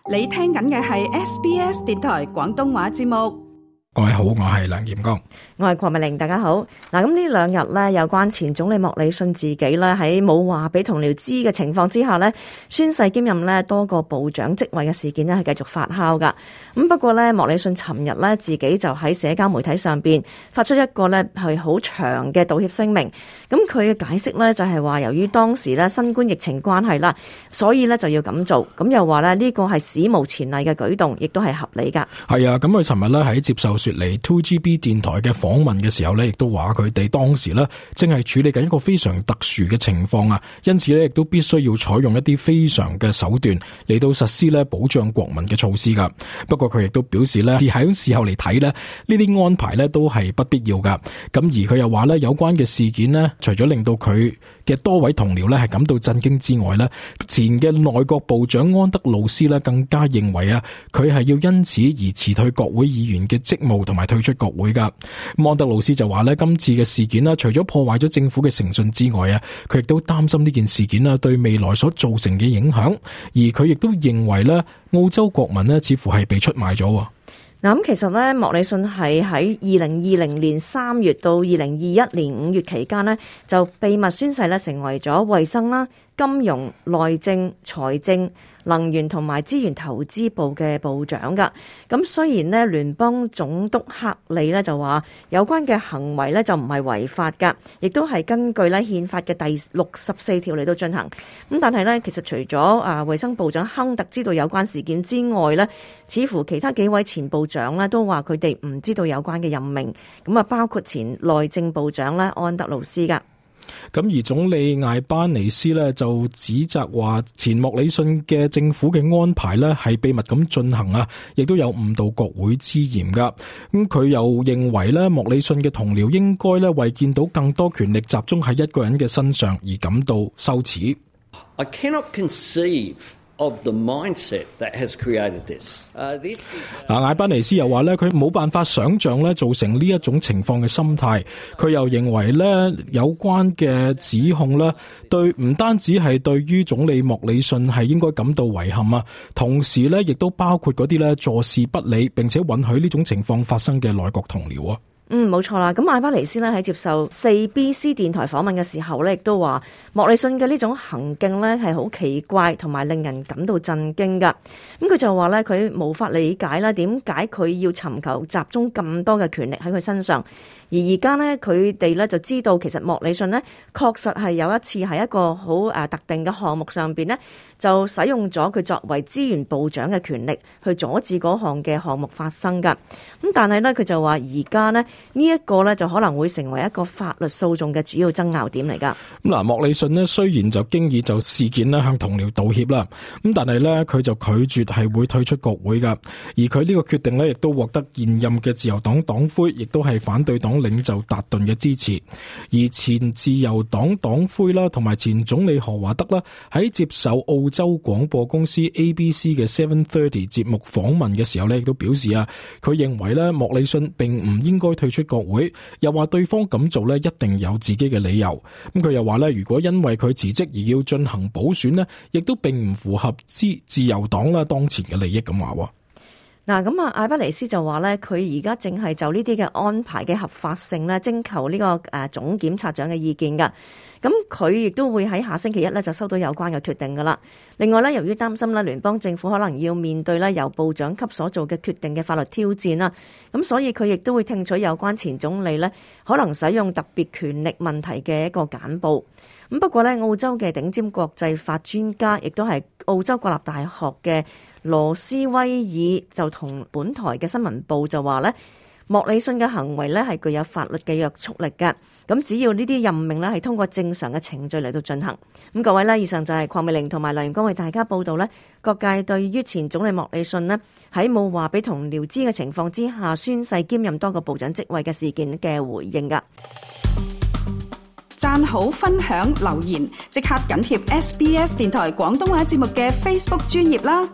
你聽緊嘅係 SBS 電台廣東話節目。各位好，我係梁炎光，我係鄺美玲，大家好。嗱，咁呢兩日呢，有關前總理莫里遜自己咧喺冇話俾同僚知嘅情況之下呢，宣誓兼任呢多個部長職位嘅事件呢係繼續發酵噶。咁不過呢，莫里遜尋日呢自己就喺社交媒體上邊發出一個呢係好長嘅道歉聲明。咁佢嘅解釋呢就係話，由於當時呢新冠疫情關係啦，所以呢就要咁做。咁又話呢呢個係史無前例嘅舉動，亦都係合理噶。係啊，咁佢尋日呢喺接受雪梨 2GB 電台嘅訪問嘅時候呢，亦都話佢哋當時呢正係處理緊一個非常特殊嘅情況啊，因此呢亦都必須要採用一啲非常嘅手段嚟到實施呢保障國民嘅措施噶。不過佢亦都表示呢，喺事後嚟睇呢，呢啲安排呢都係不必要噶。咁而佢又話呢，有關嘅事件呢，除咗令到佢嘅多位同僚呢係感到震驚之外呢，前嘅內閣部長安德魯斯呢更加認為啊，佢係要因此而辭退國會議員嘅職務同埋退出國會噶。安德魯斯就話呢，今次嘅事件呢，除咗破壞咗政府嘅誠信之外啊，佢亦都擔心呢件事件呢對未來所造成嘅影響，而佢亦都認為呢，澳洲國民呢似乎係被出賣咗。嗱，咁其實咧，莫里遜係喺2020年3月到2021年5月期間呢，就秘密宣誓咧，成為咗衛生啦、金融、內政、財政、能源同埋資源投資部嘅部長噶。咁雖然呢聯邦總督克里呢就話有關嘅行為呢就唔係違法噶，亦都係根據呢憲法嘅第64條嚟到進行。咁但係呢，其實除咗衛生部長亨特知道有關事件之外呢，似乎其他幾位前部長呢都話佢哋唔知道有關嘅任命。咁啊，包括前內政部長呢安德魯斯噶。咁而總理艾巴尼斯呢就指責話前莫里遜嘅政府嘅安排呢係秘密咁進行啊，亦都有誤導國會之嫌噶。咁佢又認為呢，莫里遜嘅同僚應該呢為見到更多權力集中喺一個人嘅身上而感到羞恥。I cannot conceive of the mindset that has created this. 艾巴尼斯又話咧，佢冇辦法想象咧造成呢一種情況嘅心態。佢又認為咧，有關嘅指控咧，對唔單止係對於總理莫里遜係應該感到遺憾啊，同時咧亦都包括嗰啲咧坐視不理並且允許呢種情況發生嘅內閣同僚啊。冇錯啦。咁艾巴尼斯呢喺接受 4BC 電台訪問嘅時候呢，亦都話莫里遜嘅呢種行徑呢係好奇怪同埋令人感到震驚噶。咁佢就話呢，佢無法理解啦，點解佢要尋求集中咁多嘅權力喺佢身上。而而家呢，佢哋呢就知道其實莫里遜呢確實係有一次喺一個好特定嘅項目上邊呢，就使用咗佢作為資源部長嘅權力去阻止嗰項嘅項目發生噶。咁但係呢，佢就話而家呢，呢一個呢就可能會成為一個法律訴訟嘅主要爭拗點嚟噶。咁嗱，莫里遜呢雖然就經已就事件呢向同僚道歉啦，咁但係呢，佢就拒絕係會退出國會噶。而佢呢個決定呢，亦都獲得現任嘅自由黨黨魁，亦都係反對黨領袖達頓嘅支持。而前自由黨黨魁啦，同埋前總理何華德啦，喺接受澳洲廣播公司 ABC 嘅730節目訪問嘅時候呢，亦都表示啊，佢認為呢，莫里遜並唔應該退出國會，又話對方咁做呢，一定有自己嘅理由。咁佢又話呢，如果因為佢辭職而要進行補選呢，亦都並唔符合自由黨啦當前嘅利益咁話。嗱，咁艾巴尼斯就話咧，佢而家正係就呢啲嘅安排嘅合法性咧，徵求呢個總檢察長嘅意見噶。咁佢亦都會喺下星期一咧就收到有關嘅決定噶啦。另外咧，由於擔心咧聯邦政府可能要面對咧由部長級所做嘅決定嘅法律挑戰啦，咁所以佢亦都會聽取有關前總理咧可能使用特別權力問題嘅一個簡報。咁不過咧，澳洲嘅頂尖國際法專家，亦都係澳洲國立大學嘅羅斯威爾就同本台嘅新聞報就話咧，莫里遜嘅行為咧係具有法律嘅約束力嘅。咁只要呢啲任命咧係通過正常嘅程序嚟到進行。咁各位咧，以上就係鄺美玲同埋梁元光為大家報道咧，各界對於前總理莫里遜咧喺冇話俾同僚知嘅情況之下宣誓兼任多個部長職位嘅事件嘅回應噶。讚好、分享、留言，即刻緊貼SBS 電台廣東話節目嘅 Facebook 專頁啦！